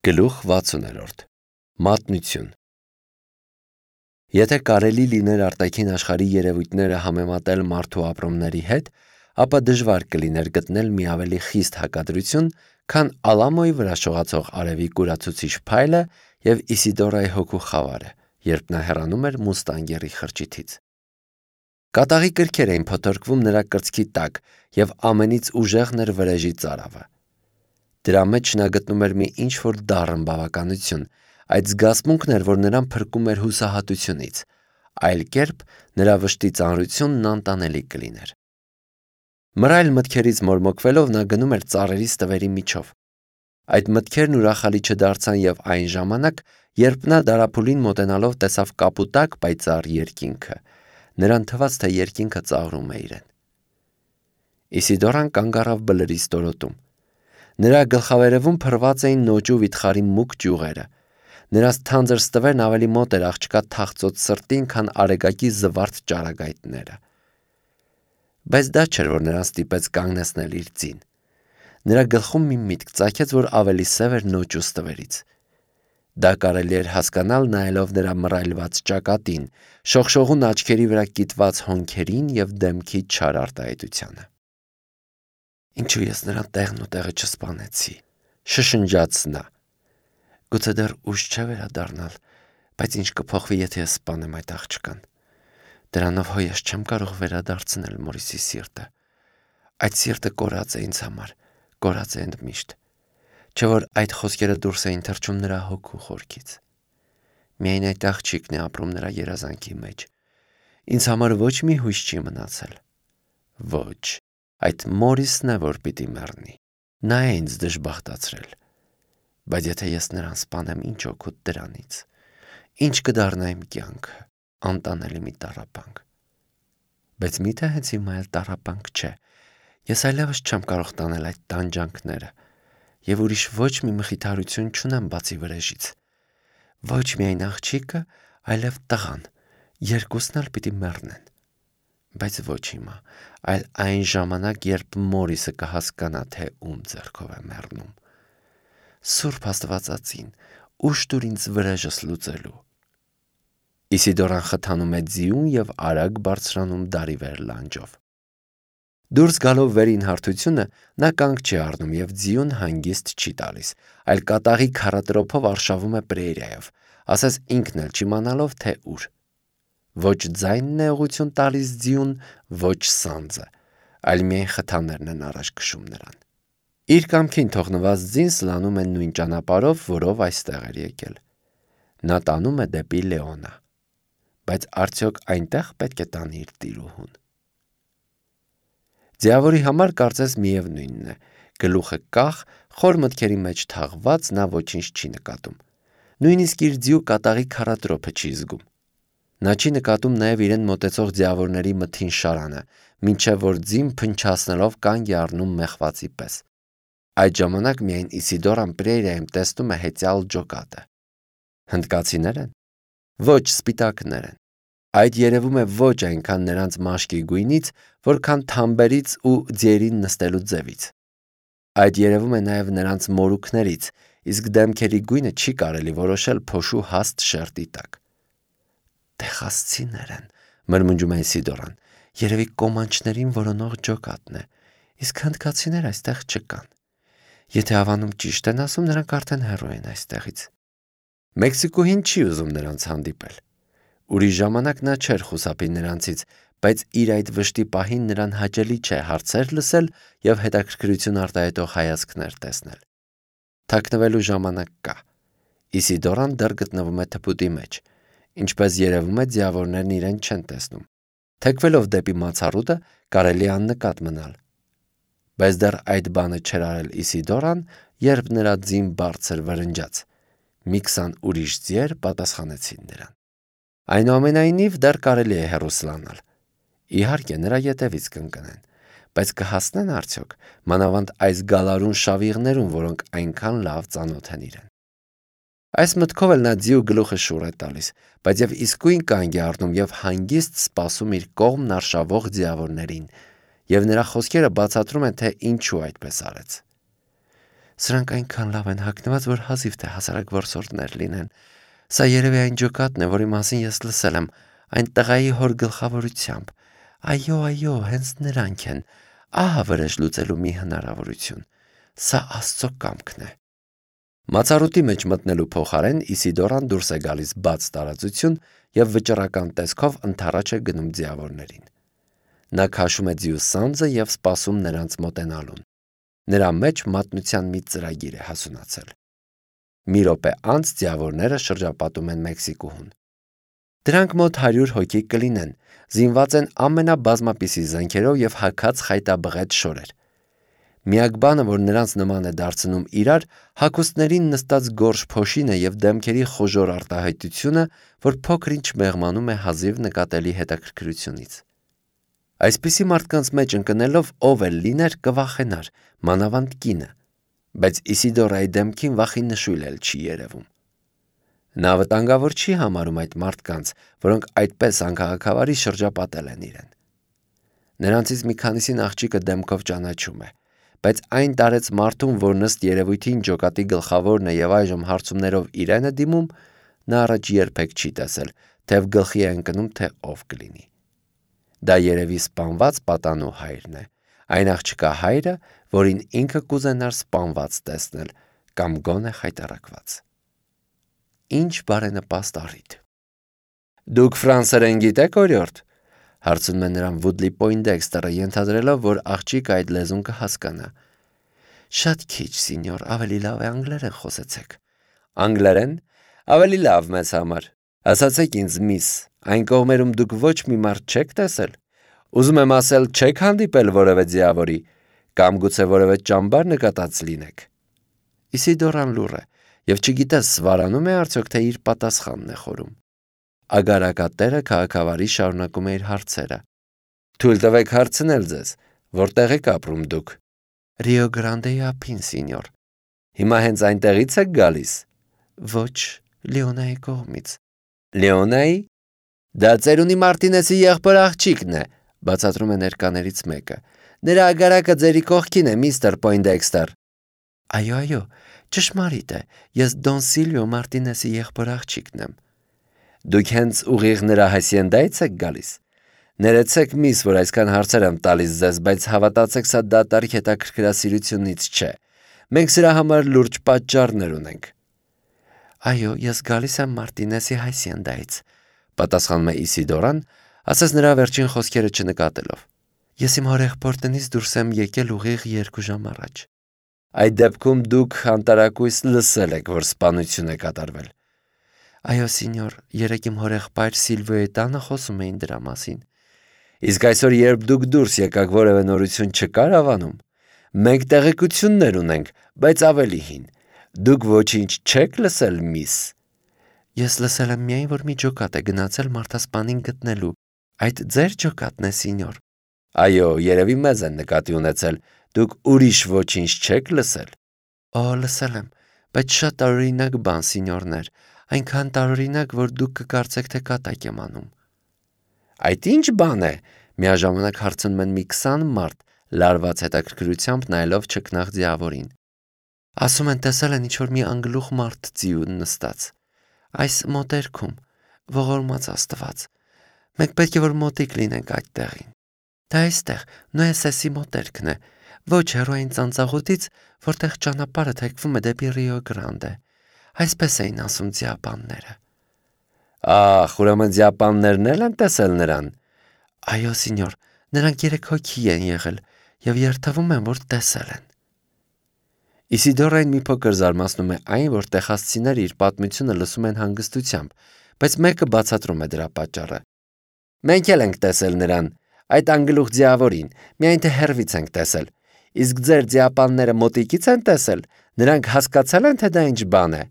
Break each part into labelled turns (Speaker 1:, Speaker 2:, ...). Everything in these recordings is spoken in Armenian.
Speaker 1: Գլուխ 60 Մատնություն Եթե կարելի լիներ արտաքին աշխարհի երևույթները համեմատել մարդու ապրումների հետ, ապա դժվար կլիներ գտնել մի ավելի խիստ հակադրություն, քան Ալամոյի վրա շողացող արևի կուրացուցիչ փայլը և Իսիդորայի հոգու խավարը, երբ նա հեռանում էր մուստանգերի խրճիթից։ Կատաղի կրքեր էին փոթորկվում նրա կրծքի տակ, և ամենից ուժեղն էր վրեժի ծարավը։ Դրա մեջ նա գտնում էր մի ինչ-որ դառն բավականություն, այդ զգացմունքն էր, որ նրան փրկում էր հուսահատությունից, այլ կերպ նրա վշտի ծանրությունն անտանելի կլիներ։ Մռայլ մտքերից մորմոքվելով նա գնում էր ծառերի ստվերի միջով։ Այդ մտքերն ուրախալի չդարձան և այն ժամանակ, երբ նա դարափուլին մոտենալով տեսավ կապուտակ պայծառ երկինքը, նրան թվաց, թե երկինքը ծաղրում է իրեն։ Իսիդորան կանգ առավ բլրի ստորոտում։ Նրա գլխավերևում փռված էին նոճու վիթխարի մուգ ճյուղերը։ Նրանց թանձր ստվերն ավելի մոտ էր աղջկա թախծոտ սրտին, քան արեգակի զվարթ ճառագայթները։ Բայց դա չէր, որ նրան ստիպեց կանգնեցնել իր ձին։ Նրա գլխում մի միտք ծագեց, որ ավելի սև էր նոճու ստվերից։ Դա կարելի էր հասկանալ նայելով նրա մռայլված ճակատին, շողշողուն աչքերի վրա կիտված հոնքերին և դեմքի չար արտահայտությանը։ Ինչու ես նրան տեղն ու տեղը չսպանեցի, շշնջաց նա։ Գուցե դեռ ուշ չէ վերադառնալ, բայց ինչ կփոխվի, եթե ես սպանեմ այդ աղջկան։ Դրանով հո ես չեմ կարող վերադարձնել Մորիսի սիրտը։ Այդ սիրտը կորած է ինձ համար, կորած է ընդմիշտ։ Չէ որ այդ խոսքերը դուրս էին թռչում նրա հոգու խորքից։ Միայն այդ աղջիկն է ապրում նրա երազանքի մեջ։ Ինձ համար ոչ մի հույս չի մնացել։ Ոչ, այդ Մորիսն է, որ պիտի մեռնի։ Նա է ինձ դժբախտացրել։ Բայց եթե ես նրան սպանեմ, ինչ օգուտ դրանից։ Ինչ կդառնա իմ կյանքը, անտանելի մի տառապանք։ Բայց միթե հենց հիմա էլ տառապանք չէ։ Ես այլևս չեմ կարող տանել այդ տանջանքները, և ուրիշ ոչ մի մխիթարություն չունեմ բացի վրեժից։ Ոչ միայն աղջիկը, այլև տղան, երկուսն էլ պիտի մեռնեն։ Բայց ոչ հիմա, այլ այն ժամանակ, երբ Մորիսը կհասկանա, թե ում ձեռքով է մեռնում։ Սուրբ Աստվածածին, ուժ տուր ինձ վրեժս լուծելու։ Իսիդորան խթանում է ձիուն և արագ բարձրանում դարի վեր լանջով։ Դուրս գալով վերին հարթությունը, նա կանգ չի առնում և ձիուն հանգիստ չի տալիս, այլ կատաղի քառատրոփով արշավում է պրերիայով, ասես ինքն էլ չիմանալով, թե ուր։ Ոչ ձայնն է ուղղություն տալիս ձիուն, ոչ սանձը, այլ միայն խթաններն են առաջ քշում նրան։ Իր կամքին թողնված ձին սլանում է նույն ճանապարհով, որով այստեղ էր եկել։ Նա տանում է դեպի Լեոնա։ Բայց արդյոք այնտեղ պետք է տանի իր տիրուհուն։ Ձիավորի համար կարծես միևնույնն է, գլուխը կախ, խոր մտքերի մեջ թաղված, նա ոչինչ չի նկատում։ Նույնիսկ իր ձիու կատաղի քառատրոփը չի զգում։ Նա չի նկատում նաև իրեն մոտեցող ձիավորների մթին շարանը, մինչև որ ձին փնչացնելով կանգ է առնում մեղվածի պես։ Այդ ժամանակ միայն Իսիդորան պրերիայում տեսնում է հեծյալ ջոկատը։ Հնդկացիներ են։ Ոչ, սպիտակներ են։ Այդ երևում է ոչ այնքան նրանց մաշկի գույնից, որքան թամբերից ու ձիերին նստելու ձևից։ Այդ երևում է նաև նրանց մորուքներից, իսկ դեմքերի գույնը չի կարելի որոշել փոշու հաստ շերտի տակ։ Տեխասցիներ են, մրմնջում է Իսիդորան, երևի կոմանչներին որոնող ջոկատն է, իսկ հնդկացիներ այստեղ չկան։ Եթե հավանում ճիշտ են ասում, նրանք արդեն հեռու են այստեղից։ Մեքսիկուհին չի ուզում նրանց հանդիպել։ Ուրիշ ժամանակ նա չէր խուսափի նրանցից, բայց իր այդ վշտի պահին նրան հաճելի չէ հարցեր լսել և հետաքրքրություն արտահայտող հայացքներ տեսնել։ Թաքնվելու ժամանակ կա։ Իսիդորան դեռ գտնվում է թփուտի մեջ, ինչպես երևում է, ձիավորներն իրեն չեն տեսնում։ Թեքվելով դեպի մացառուտը կարելի է աննկատ մնալ։ Բայց դեռ այդ բանը չէր արել Իսիդորան, երբ նրա ձին բարձր վրնջաց։ Մի 20 ուրիշ ձիեր պատասխանեցին նրան։ Այնուամենայնիվ դեռ կարելի է հեռու սլանալ։ Իհարկե, նրա ետևից կընկնեն, բայց կհասնեն արդյոք, մանավանդ այս գալարուն շավիղներում, որոնք այնքան լավ ծանոթ են իրեն։ Այս մտքով էլ նա ձիու գլուխը շուռ է տալիս, բայց և իսկույն կանգ է առնում և հանգիստ սպասում իր կողմն արշավող ձիավորներին, և նրա խոսքերը բացատրում են, թե ինչու այդպես արեց։ Սրանք այնքան լավ են հագնված, որ հազիվ թե հասարակ որսորդներ լինեն։ Սա երևի այն ջոկատն է, որի մասին ես լսել եմ, այն տղայի հոր գլխավորությամբ։ Այո, հենց նրանք են։ Ահա վրեժ լուծելու մի հնարավորություն։ Սա Աստծո կամքն է։ Մացառուտի մեջ մտնելու փոխարեն Իսիդորան դուրս է գալիս բաց տարածություն եւ վճռական տեսքով ընդառաջ է գնում ձիավորներին։ Նա քաշում է ձիու սանձը եւ սպասում նրանց մոտենալուն։ Նրա մեջ մատնության մի ծրագիր է հասունացել։ Մի րոպե անց ձիավորները շրջապատում են Մեքսիկուհուն։ Դրանք մոտ 100 հոգի կլինեն, զինված են ամենաբազմապիսի զենքերով եւ հագած խայտաբղետ շորեր։ Միակ բանը, որ նրանց նման է դարձնում իրար, հագուստներին նստած գորշ փոշինը եւ դեմքերի խոժոր արտահայտությունը, որ փոքր-ինչ մեղմանում է հազիվ նկատելի հետաքրքրությունից։ Այսպիսի մարդկանց մեջ ընկնելով ով էլ լիներ կվախենար, մանավանդ կինը, բայց Իսիդորայի դեմքին վախի նշույլ էլ չի երևում։ Նա վտանգավոր չի համարում այդ մարդկանց, որոնք այդպես անքաղաքավարի շրջապատել են իրեն։ Նրանցից մի քանիսին աղջիկը դեմքով ճանաչում է, բայց այն տարեց մարդուն, որ ըստ երևույթին ջոկատի գլխավորն է եւ այժմ հարցումներով իրեն է դիմում, նա առաջ երբեք չի տեսել, թեև գլխի է ընկնում, թե ով կլինի։ Դա երևի սպանված պատանու հայրն է, այն աղջկա հայրը, որին ինքը կուզենար սպանված տեսնել կամ գոնե խայտառակված։ Ինչ բարենպաստ առիթ։ Դուք ֆրանսերեն գիտեք, օրիորդ, հարցնում է նրան Վուդլի Պոյնդեքստերը, ենթադրելով, որ աղջիկը այդ լեզուն կհասկանա։ Շատ քիչ, սինյոր, ավելի լավ է անգլերեն խոսեցեք։ Անգլերեն։ Ավելի լավ մեզ համար։ Ասացեք ինձ, միս, այն կողմերում դուք ոչ մի մարդ չեք տեսել։ Ուզում եմ ասել, չեք հանդիպել որևէ ձիավորի, կամ գուցե որևէ ճամբար նկատած լինեք։ Իսիդորան լուռ է եւ չգիտես սվարանում է արդյոք, թե իր պատասխանն է խորում։ Ագարակատերը քաղաքավարի շարունակում է իր հարցերը։ Թույլ տվեք հարցնել ձեզ, որտեղ եք ապրում դուք։ Ռիո Գրանդեի ափին, սինյոր։ Հիմա հենց այնտեղից եք գալիս։ Ոչ, Լեոնայի կողմից։ Լեոնայի։ Դա ծերունի Մարտինեսի եղբոր աղջիկն է, բացատրում է ներկաներից մեկը։ Նրա ագարակը ձերի կողքին է, միստր Պոյնդեքստեր։ Այո, ճշմարիտ է, ես Դոն Սիլվիո Մարտինեսի եղբոր աղջիկն եմ։ Դուք հենց ուղիղ նրա հասիենդայից եք գալիս։ Ներեցեք, միս, որ այսքան հարցեր եմ տալիս ձեզ, բայց հավատացեք, սա դատարկ հետաքրքրասիրությունից չէ։ Մենք սրա համար լուրջ պատճառներ ունենք։ Այո, ես գալիս եմ Մարտինեսի հասիենդայից, պատասխանում է Իսիդորան, ասես նրա վերջին խոսքերը չնկատելով։ Ես իմ հորեղբոր տնից դուրս եմ եկել ուղիղ 2 ժամ առաջ։ Այդ դեպքում դուք անտարակույս լսել եք, որ սպանություն է կատարվել։ Այո, սինյոր, երեկ իմ հորեղբայր Սիլվիոյի տանը խոսում էին դրա մասին։ Իսկ այսօր, երբ դուք դուրս եկաք, որևէ նորություն չկար ավանում։ Մենք տեղեկություններ ունենք, բայց ավելի հին։ Դուք ոչինչ չեք լսել, միս։ Ես լսել եմ միայն, որ մի ջոկատ է գնացել մարդասպանին գտնելու։ Այդ ձեր ջոկատն է, սինյոր։ Այո, երևի մեզ են նկատի ունեցել։ Դուք ուրիշ ոչինչ չեք լսել։ Օ, լսել եմ, բայց շատ տարօրինակ բան, սինյորներ, այնքան տարօրինակ, որ դուք կկարծեք, թե կատակ եմ անում։ Այդ ինչ բան է, միաժամանակ հարցնում են մի 20 մարդ, լարված հետաքրքրությամբ նայելով չքնաղ ձիավորին։ Ասում են տեսել են ինչ-որ մի անգլուխ մարդ ձիուն նստած։ Այս մոտերքում, ողորմած Աստված։ Մենք պետք է որ մոտիկ լինենք այդ տեղին։ Դա այստեղ Նոեսեսի մոտերքն է, ոչ հեռու այն ծանծաղուտից, որտեղ ճանապարհը թեքվում է դեպի Ռիո Գրանդե։ Այսպես էին ասում ձիապանները։ Ահ, ուրեմն ձիապաններն էլ են տեսել նրան։ Այո, սինյոր, նրանք 3 հոգի են եղել եւ երթվում են, որ տեսել են։ Իսիդորային մի փոքր զարմացնում է այն, որ տեխասցիները իր պատմությունը լսում են հանգստությամբ, բայց մեկը բացատրում է դրա պատճառը։ Մենք էլ ենք տեսել նրան, այդ անգլուխ ձիավորին, միայն թե հեռվից ենք տեսել։ Իսկ ձեր ձիապանները մոտիկից են տեսել, նրանք հասկացել են, թե դա ինչ բան է։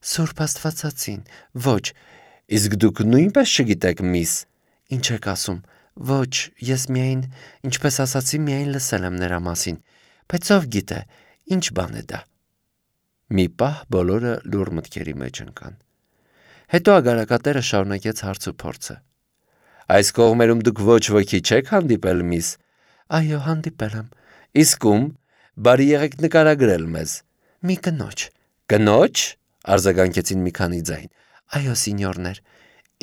Speaker 1: Սուրբ Աստվածածին, ոչ, իսկ դուք նույնպես չգիտեք, միս։ Ինչ եք ասում։ Ոչ, ես միայն, ինչպես ասացի, միայն լսել եմ նրա մասին, բայց ով գիտե, ինչ բան է դա։ Մի պահ բոլորը լուռ մտքերի մեջ ընկան։ Հետո ագարակատերը շարունակեց հարցուփորձը։ Այս կողմերում դուք ոչ ոքի չեք հանդիպել, միս։ Այո, հանդիպել եմ։ Իսկ ում, բարի եղեք նկարագրել մեզ։ Մի կնոջ։ Կնոջ, արձագանքեցին մի քանի ձայն։ Այո, սինյորներ։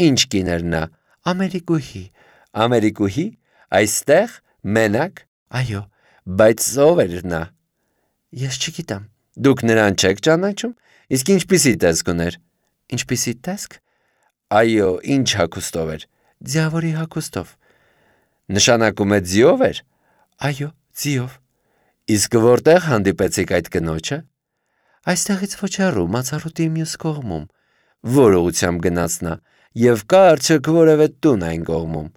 Speaker 1: Ինչ կին էր նա։ Ամերիկուհի։ Ամերիկուհի, այստեղ, մենակ։ Այո, բայց ով էր նա։ Ես չգիտեմ։ Դուք նրան չեք ճանաչում։ Իսկ ինչպիսի տեսք ուներ։ Ինչպիսի տեսք։ Այո, ինչ հագուստով էր։ Ձիավորի հագուստով։ Նշանակում է ձիով էր։ Այո, ձիով։ Իսկ որտեղ հանդիպեցիք այդ կնոջը։ Այստեղից ոչ հեռու, մացառուտի մյուս կողմում։ Որ ուղղությամբ գնաց նա, եւ կա արդյոք որևէ տուն այն կողմում։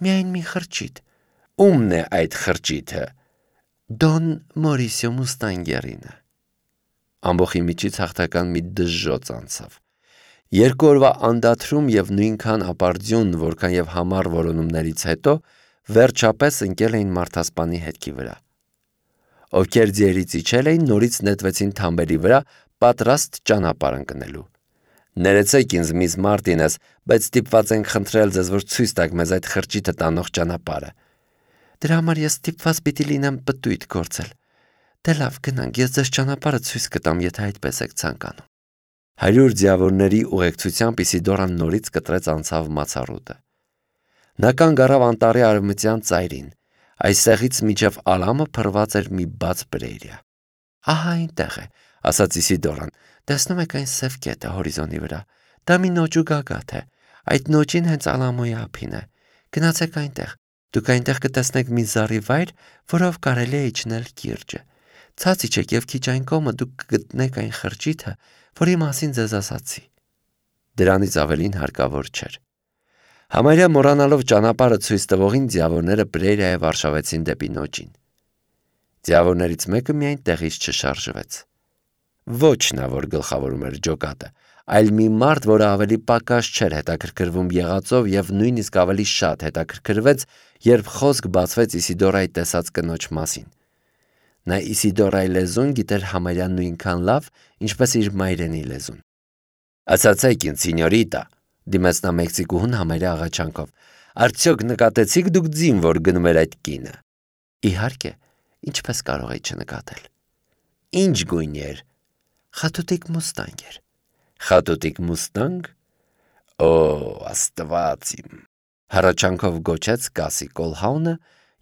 Speaker 1: Միայն մի խրճիթ։ Ումն է այդ խրճիթը։ Դոն Մորիսիո Մուստանգերինը։ Ամբողջի միջից հաղթական մի դժժոց անցավ։ 2 օրվա անդադրում եւ նույնքան ապարդյուն, որքան եւ համառ որոնումներից հետո վերջապես ընկել էին մարդասպանի հետքի վրա։ Ովքեր ձիերից իջել էին, նորից նետվեցին թամբերի վրա, պատրաստ ճանապարհ ընկնելու։ Ներեցեք ինձ, միս Մարտինես, բայց ստիպված ենք խնդրել ձեզ, որ ցույց տաք մեզ այդ խրճիթը տանող ճանապարհը։ Դրա համար ես ստիպված պիտի լինեմ պտույտ գործել։ Դե լավ, գնանք, ես ձեզ ճանապարհը ցույց կտամ, եթե այդպես եք ցանկանում։ 100 ձիավորների ուղեկցությամբ Իսիդորան նորից կտրեց անցավ մացառուտը։ Նա կանգ առավ անտառի արևմտյան ծայրին։ Այստեղից մինչև Ալամը փռված էր մի բաց բրեյրիա։ Ահա այնտեղ է, ասաց Իսիդորան։ Տեսնում եք այն սև կետը հորիզոնի վրա։ Դա մի նոճու գագաթ է։ Այդ նոճին հենց Ալամոյի ափին է։ Գնացեք այնտեղ։ Դուք այնտեղ կտեսնեք մի զառի վայր, որով կարելի է իջնել կիրճը։ Ցած իջեք եւ քիչ այն կողմը դուք կգտնեք այն խրճիթը, որի մասին ձեզ ասացի։ Դրանից ավելին հարկավոր չէր։ Համարյա մոռանալով ճանապարհը ցույց տվողին ձիավորները բրեյրիայով արշավեցին դեպի նոճին։ Ձիավորներից մեկը միայն տեղից չշարժվեց։ Ոչ նա, որ գլխավորում էր ջոկատը, այլ մի մարդ, որը ավելի պակաս չէր հետաքրքրվում եղածով եւ նույնիսկ ավելի շատ հետաքրքրվեց, երբ խոսք բացվեց Իսիդորայի տեսած կնոջ մասին։ Նա Իսիդորայի լեզուն գիտեր համարյա նույնքան լավ, ինչպես իր մայրենի լեզուն։ Ասացեք ինձ, սինյորիտա, դիմեց նա մեքսիկուհուն համարյա աղաչանքով, արդյոք նկատեցիք դուք ձին, որ գնում էր այդ կինը։ Իհարկե, ինչպես կարող էի չնկատել։ Ինչ գույն էր։ Խատուտիկ մուստանգ էր։ Խատուտիկ մուստանգ։ Օ, աստված իմ։ Հառաչանքով գոչեց Կասի Կոլհաունը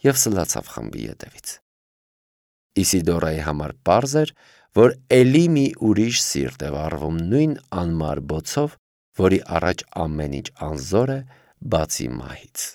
Speaker 1: եւ սլացավ խմբի ետևից։ Իսիդորայի համար պարզ էր, որ էլի մի ուրիշ սիրտ է վառվում նույն անմար բոցով, որի առաջ ամեն ինչ անզոր է, բացի մահից։